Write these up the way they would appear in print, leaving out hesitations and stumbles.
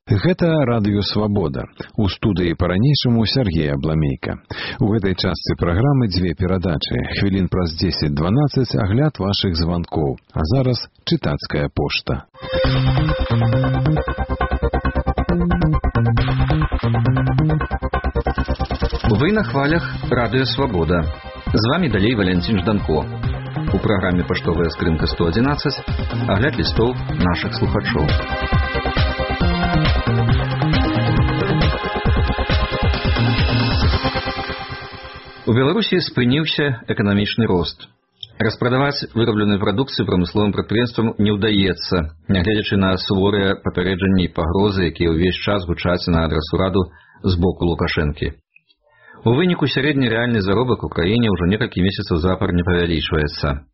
Гэта радыё «Свабода». У студыі па-ранейшаму Сергей Абламейка. У гэтай частцы праграмы дзве перадачы. Хвілін праз 10-12 агляд вашых званкоў. А зараз чытацкая пошта. Вы на хвалях радыё «Свабода». З вами далей Валентин Жданко. У праграме «Паштовая скрынка 111» агляд лістоў нашых слухачоў. У Беларусі спыніўся эканамічны рост. Распрадаваць вырабленую прадукцыю прамысловым прадпрыемствам не ўдаецца, нягледзячы на суворыя папярэджанні і пагрозы, якія ўвесь час гучаць на адрас ураду з боку Лукашэнкі. У выніку сярэдні рэальны заробак у краіне ўжо некалькі месяцаў запар не павялічваецца.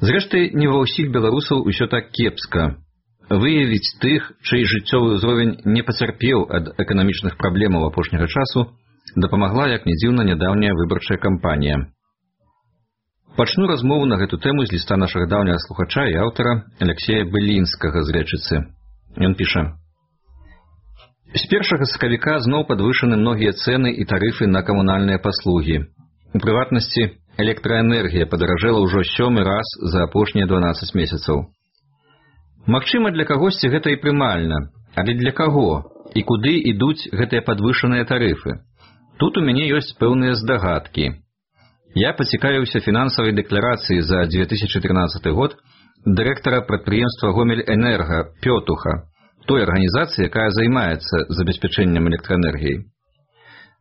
Зрэшты, не ва ўсіх беларусаў усё так кепска. Выявіць тых, чый жыццёвы ўзровень не пацярпеў ад эканамічных праблемаў апошняга часу, дапамагла, як ні дзіўна, нядаўняя выбарчая кампанія. Пачну размову на гэту тэму з ліста нашага даўняга слухача і аўтара Алексея Былінскага з Рэчыцы. Ён піша: «З 1 сакавіка зноў падвышаны многія цэны і тарыфы на камунальныя паслугі. У прыватнасці, электраэнергія падаражэла ўжо 7-й раз за апошнія 12 месяцаў. Магчыма, для кагосьці гэта і прымальна, але для каго і куды ідуць гэтыя падвышаныя тарыфы? Тут у мяне ёсць пэўныя здагадкі. Я пацікавіўся фінансавай дэкларацыяй за 2013 год дырэктара прадпрыемства «Гомель-Энерга» Пётуха, той арганізацыі, якая займаецца забеспячэннем электраэнергіяй.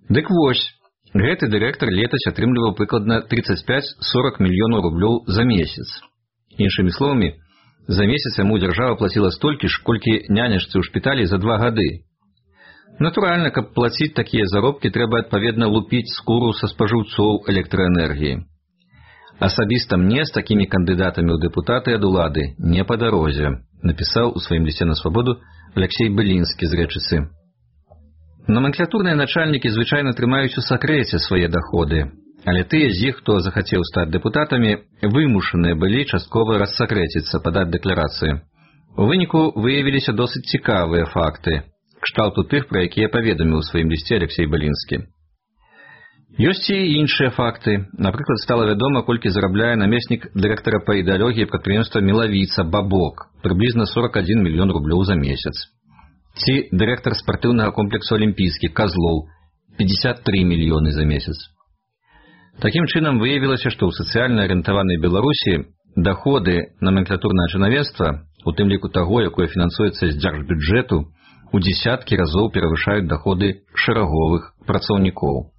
Дык вось, гэты дырэктар летась атрымліваў прыкладна 35-40 мільёнаў рублёў за месяц. Іншымі словамі, за месяц яму дзяржава плаціла столькі ж, колькі нянечцы ў шпіталі за 2 гады. Натуральна, каб плаціць такія заробкі, трэба адпаведна лупіць скуру са спажыўцоў электраэнергіі. Асабіста мне з такімі кандыдатамі ў дэпутаты ад улады не па дарозе, напісаў у сваім лісце на «Свабоду» Алексей Былінскі з Рэчыцы. Номенклатурныя начальнікі звычайна трымаюць у сакрэце свае даходы, але тыя з іх, хто захацеў стаць дэпутатамі, вымушаныя былі часткова рассакрэціцца, падаць дэкларацыі. У выніку выявіліся досыць цікавыя факты, кшталту тых, пра якія паведаміў у сваім лісце Алексей Былінскі. Ёсць і іншыя факты. Напрыклад, стала вядома, колькі зарабляе намеснік дырэктара па ідэалогіі прадпрыемства «Мелавіца» Бабок, прыблізна 41 мільён рублёў за месяц. Ці дырэктар спартыўнага комплексу «Алімпійскі» Казлоў, 53 мільёны за месяц. Такім чынам выявілася, што ў сацыяльна арыентаванай Беларусі даходы номенклатурнага чынавенства, у тым ліку таго, якое фінансуецца з дзяржбюджэту, у дзесяткі разоў перавышаюць даходы шэраговых працаўнікоў.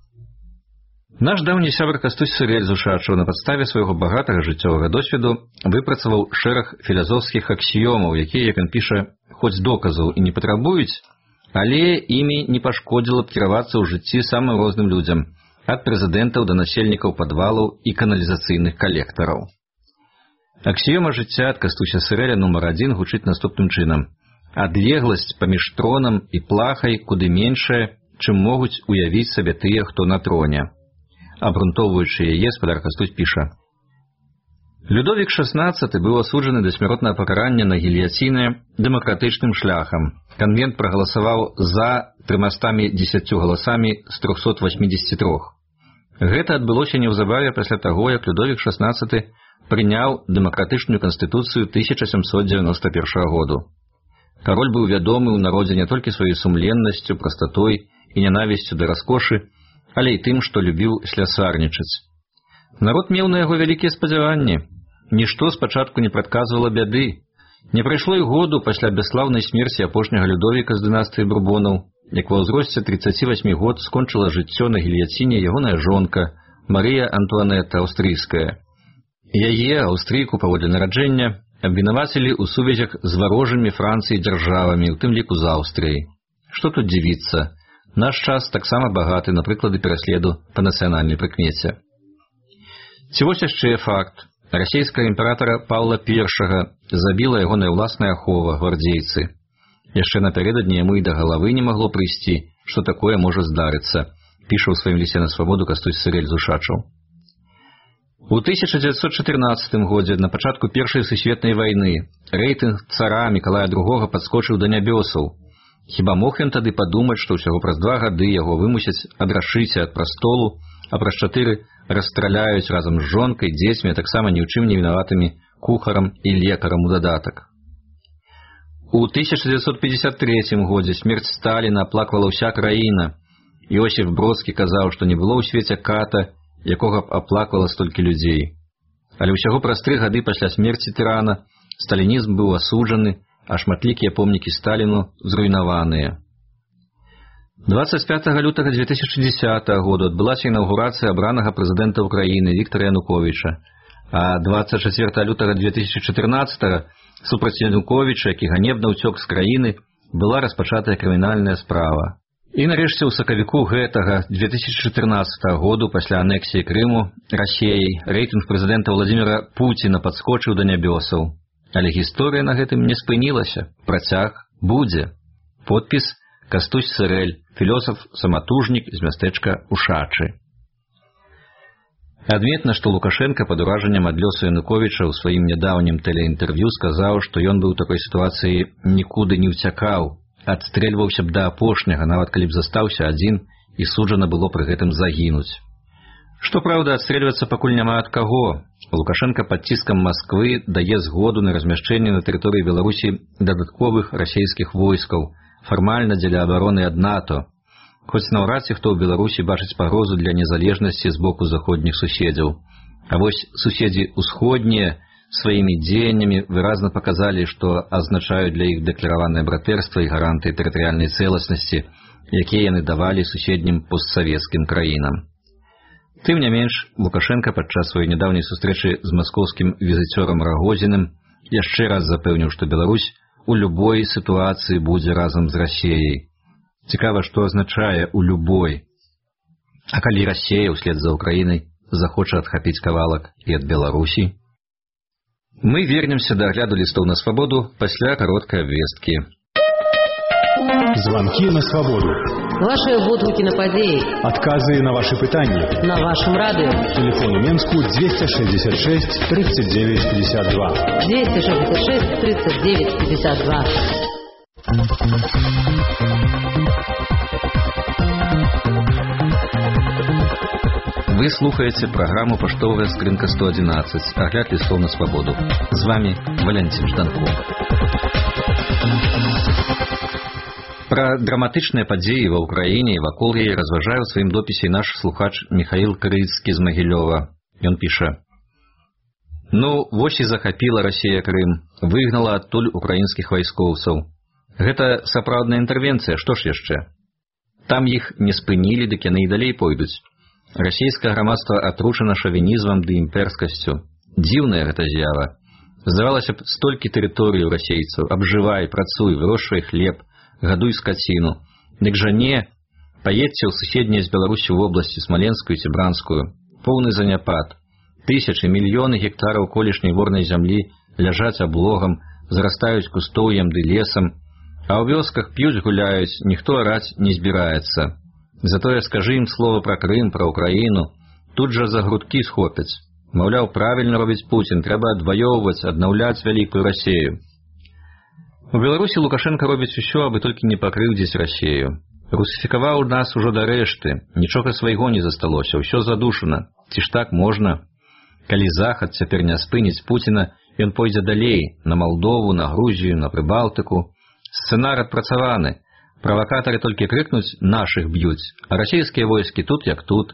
Наш даўні сябар Кастусь Сырэль з Ушачаў на падставе свайго багатага жыццёвага досведу выпрацаваў шэраг філазофскіх аксіёмаў, якія, як ён піша, хоць доказаў і не патрабуюць, але імі не пашкодзіла б кіравацца ў жыцці самым розным людзям, ад прэзідэнтаў да насельнікаў падвалаў і каналізацыйных калектараў. Аксіёма жыцця ад Кастуся Сырэля нумар 1 гучыць наступным чынам: адлегласць паміж тронам і плахай куды меншая, чым могуць уявіць сабе тыя, хто на троне. Абрунтоўваючы яе, спадар Кастусь піша: Людовік XVI быў асуджаны да смяротнага пакарання на гільяціне дэмакратычным шляхам. Канвент прагаласаваў за 310 галасамі з 383. Гэта адбылося неўзабаве пасля таго, як Людовік XVI прыняў дэмакратычную канстытуцыю 1791 году. Кароль быў вядомы ў народзе не толькі сваёй сумленнасцю, прастатой і нянавісцю да раскошы, але і тым, што любіў слясарнічаць. Народ меў на яго вялікія спадзяванні. Нішто спачатку не прадказвала бяды. Не прайшло і году пасля бясслаўнай смерці апошняга Людовіка з дынастыі Бурбонаў, як ва ўзросце 38 год скончыла жыццё на гільяціне ягоная жонка Марыя Антуанета Аўстрыйская. Яе, аўстрыйку паводле нараджэння, абвінавацілі ў сувязях з варожымі Францыі дзяржавамі, у тым ліку з Аўстрыяй. Што тут дзівіцца? Наш час таксама багаты на прыклады пераследу па нацыянальнай прыкмеце. Ці вось яшчэ факт. Расійскага імператара Паўла I забіла ягоная ўласная ахова, гвардзейцы. Яшчэ напярэдадні яму і да галавы не магло прыйсці, што такое можа здарыцца, піша ў сваім лісце на «Свабоду» Кастусь Сырэль з Ушачаў. У 1914 годзе, на пачатку Першай сусветнай вайны, рэйтынг цара Мікалая II падскочыў да нябёсаў. Хіба мог ён тады падумаць, што ўсяго праз 2 гады яго вымусяць адрашыць ад прастолу, а праз 4 расстраляюць разам з жонкай, дзецьмі, а таксама ні ў чым не вінаватымі кухарам і лекарам у дадатак. У 1953 годзе смерць Сталіна аплаквала ўся краіна. Іосіф Бродскі казаў, што не было ў свеце ката, якога б аплаквала столькі людзей. Але ўсяго праз 3 гады пасля смерці тырана сталінізм быў асуджаны, а шматлікія помнікі Сталіну зруйнаваныя. 25 лютага 2010 году адбылася інаўгурацыя абранага прэзідэнта ўкраіны Віктара Януковіча, а 24 лютага 2014 супраць Януковіча, які ганебна ўцёк з краіны, была распачатая крымінальная справа. І нарэшце ў сакавіку гэтага 2014 году пасля анексіі Крыму Расіяй рэйтынг прэзідэнта Владзіміра Пуціна падскочыў да нябёсаў. Але гісторыя на гэтым не спынілася. Працяг будзе. Подпіс Кастусь Сырэль, філёсаф-саматужнік з мястэчка Ушачы. Адметна, што Лукашенка пад уражаннем ад лёсу Януковіча ў сваім нядаўнім тэлеінтэрв'ю сказаў, што ён быў у такой сітуацыі нікуды не ўцякаў, адстрэльваўся б да апошняга, нават калі б застаўся адзін і суджана было пры гэтым загінуць. Што праўда, адстрэльвацца пакуль няма ад каго. Лукашенка пад ціскам Масквы дае згоду на размяшчэнне на тэрыторыі Беларусі дадатковых расійскіх войскаў, фармальна дзеля абароны ад НАТО, хоць наўрад ці хто ў Беларусі бачыць пагрозу для незалежнасці з боку заходніх суседзяў. А вось суседзі ўсходнія сваімі дзеяннямі выразна паказалі, што азначаюць для іх дэклараванае братэрства і гаранты тэрытарыяльнай цэласнасці, якія яны давалі суседнім постсавецкім краінам. Тым не менш, Лукашенка падчас сваёй нядаўняй сустрэчы з маскоўскім візіцёрам Рагозіным яшчэ раз запэўніў, што Беларусь у любой сітуацыі будзе разам з Расіяй. Цікава, што азначае «у любой». А калі Расія ўслед за Украінай захоча адхапіць кавалак і ад Беларусі? Мы вернемся да агляду лістоў на свабоду пасля кароткай абвесткі. Звонки на свободу. Ваши водгуки на подеи. Отказы на ваши пытания. На вашем радио. Телефон у Менску 266 39 52. 266 39 52. Вы слухаете программу «Поштовая скринка 111». Огляд листов на свободу. С вами Валентин Жданков. Пра драматычныя падзеі ва ўкраіне і вакол яе разважае ў сваім допісе наш слухач Михаил Крыцкі з Магілёва. Ён піша: «Ну, вось і захапіла Расія Крым, выгнала адтуль украінскіх вайскоўцаў. Гэта сапраўдная інтэрвенцыя, што ж яшчэ? Там іх не спынілі, дык яны і далей пойдуць. Расійскае грамадства атручана шавінізмам ды імперскасцю. Дзіўная гэта з'ява. Здавалася б, столькі тэрыторыю расейцаў, абжывай, працуй, вырошчвай хлеб, гадуй скаціну. Дык жа не, паедзьце ў суседнія з Беларусі ў вобласці Смаленскую ці Бранскую. Поўны заняпад. Тысячы, мільёны гектараў колішняй ворнай зямлі ляжаць аблогам, зарастаюць кустоўем ды лесам, а ў вёсках п'юць гуляюць, ніхто араць не збіраецца. Затое скажы ім слова пра Крым, пра Украіну, тут жа за грудкі схопяць. Маўляў, правільна робіць Пуцін, трэба адваёўваць, аднаўляць вялікую Расію. У Беларусі Лукашенка робіць усё, абы толькі не пакрыўдзіць Расію. Русіфікаваў нас ужо да рэшты, нічога свайго не засталося, ўсё задушана. Ці ж так можна? Калі Захад цяпер не спыніць Пуціна, ён пойдзе далей, на Малдову, на Грузію, на Прыбалтыку. Сцэнар адпрацаваны. Правакатары толькі крыкнуць, нашых б'юць, а расійскія войскі тут як тут.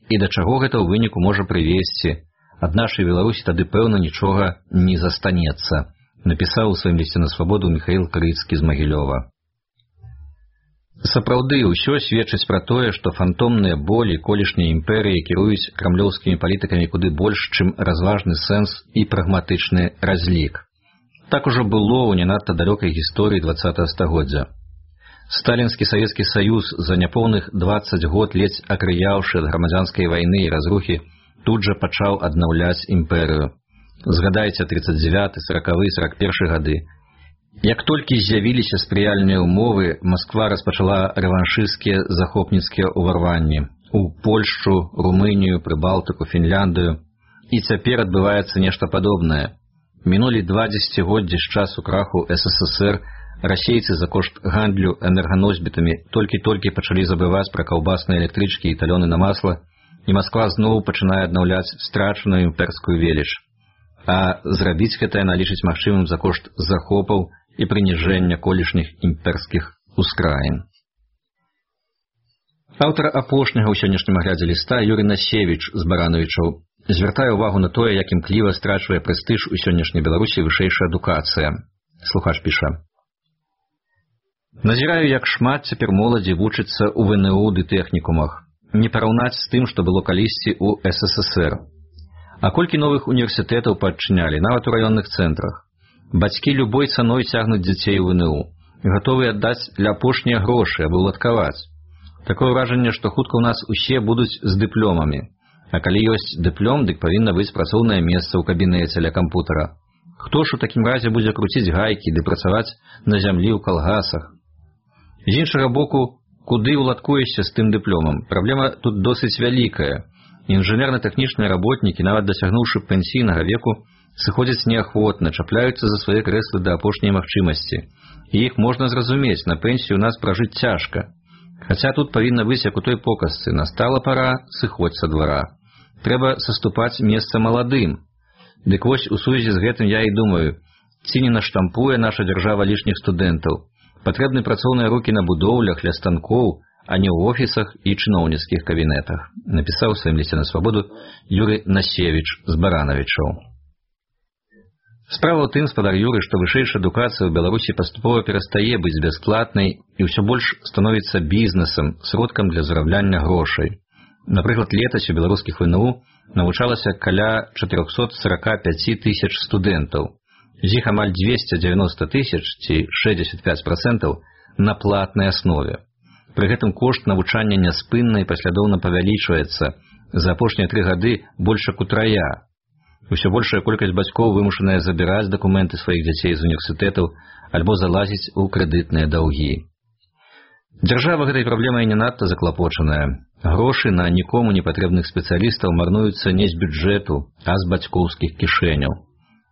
І да чаго гэта ў выніку можа прывесці? Ад нашай Беларусі тады, пэўна, нічога не застанецца, напісаў у сваім лісце на свабоду Михаил Крыцкі з Магілёва. Сапраўды, ўсё сведчыць пра тое, што фантомныя болі колішняй імперыі кіруюць крамлёўскімі палітыкамі куды больш, чым разважны сэнс і прагматычны разлік. Так ужо было ў не надта далёкай гісторыі 20-го стагоддзя. Сталінскі Савецкі Саюз за няпоўных 20 год ледзь акрыяўшы ад грамадзянскай вайны і разрухі, тут жа пачаў аднаўляць імперыю. Згадайце 39, 40, 41 гады. Як толькі з'явіліся спрыяльныя ўмовы, Масква распачала рэваншысцкія захопніцкія ўварванні у Польшчу, Румынію, Прыбалтыку, Фінляндыю. І цяпер адбываецца нешта падобнае. Мінулі 2 дзесяцігоддзі з часу краху СССР, расейцы за кошт гандлю энерганосьбітамі толькі-толькі пачалі забываць пра каўбасныя электрычкі і талёны на масла, і Масква зноў пачынае аднаўляць страчаную імперскую веліч. А зрабіць гэта яна лічыць магчымым за кошт захопаў і прыніжэння колішніх імперскіх ускраін. Аўтар апошняга ў сённяшнім аглядзе ліста Юрый Насевіч з Барановічаў звяртае ўвагу на тое, як імкліва страчвае прэстыж у сённяшняй Беларусі вышэйшая адукацыя. Слухач піша: «Назіраю, як шмат цяпер моладзі вучыцца ў ВНУ ды тэхнікумах. Не параўнаць з тым, што было калісьці ў СССР. А колькі новых універсітэтаў падчынялі, нават у раённых цэнтрах. Бацькі любой цаной цягнуць дзяцей у ВНУ, гатовыя аддаць для апошнія грошы, абы ўладкаваць. Такое ўражанне, што хутка ў нас усе будуць з дыпломамі. А калі ёсць дыплом, дык павінна быць працоўнае месца ў кабінеце ля кампутара. Хто ж у такім разе будзе круціць гайкі ды працаваць на зямлі ў калгасах? З іншага боку, куды ўладкуешся з тым дыпломам? Праблема тут досыць вялікая. Інжынерна-тэхнічныя работнікі, нават дасягнуўшы пенсійнага веку, сыходзяць неахвотна, чапляюцца за свае крэслы да апошняй магчымасці. І іх можна зразумець, на пенсію у нас пражыць цяжка. Хаця тут павінна быць, як у той показцы: настала пара, сыходзь са двара. Трэба саступаць месца маладым. Дык вось у сувязі з гэтым я і думаю, ці не наштампуе наша дзяржава лішніх студэнтаў. Патрэбны працоўныя рукі на будоўлях, ля станкоў, а не ў офісах і чыноўніцкіх кабінетах, напісаў у сваім лісце на Свабоду Юрый Насевіч з Барановічаў. Справа ў тым, спадар Юры, што вышэйшая адукацыя ў Беларусі паступова перастае быць бясплатнай і ўсё больш становіцца бізнесам, сродкам для зарабляния грошай. Напрыклад, летась у беларускіх ВНУ навучалася каля 445 тысяч студэнтаў. З іх амаль 290 тысяч, ці 65%, на платнай аснове. Пры гэтым кошт навучання няспынна і паслядоўна павялічваецца. За апошнія 3 гады больш як утрая. Усё большая колькасць бацькоў вымушаная забіраць дакументы сваіх дзяцей з універсітэтаў альбо залазіць у крэдытныя даўгі. Дзяржава гэтай праблемай не надта заклапочаная. Грошы на нікому не патрэбных спецыялістаў марнуюцца не з бюджэту, а з бацькоўскіх кішэняў.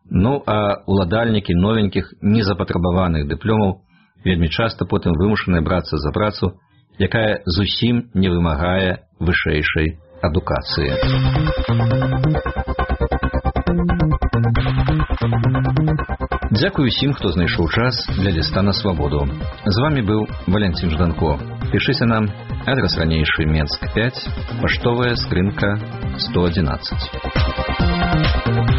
Ну, а уладальнікі новенькіх незапатрабаваных дыпломаў вельмі часта потым вымушаныя брацца за працу, якая зусім не вымагае вышэйшай адукацыі. Дзякую усім, хто знайшоў час для ліста на Свабоду. З вами быў Валентин Жданко. Пішыце нам, адрес ранейшы Менск 5, паштовая скрынка 111.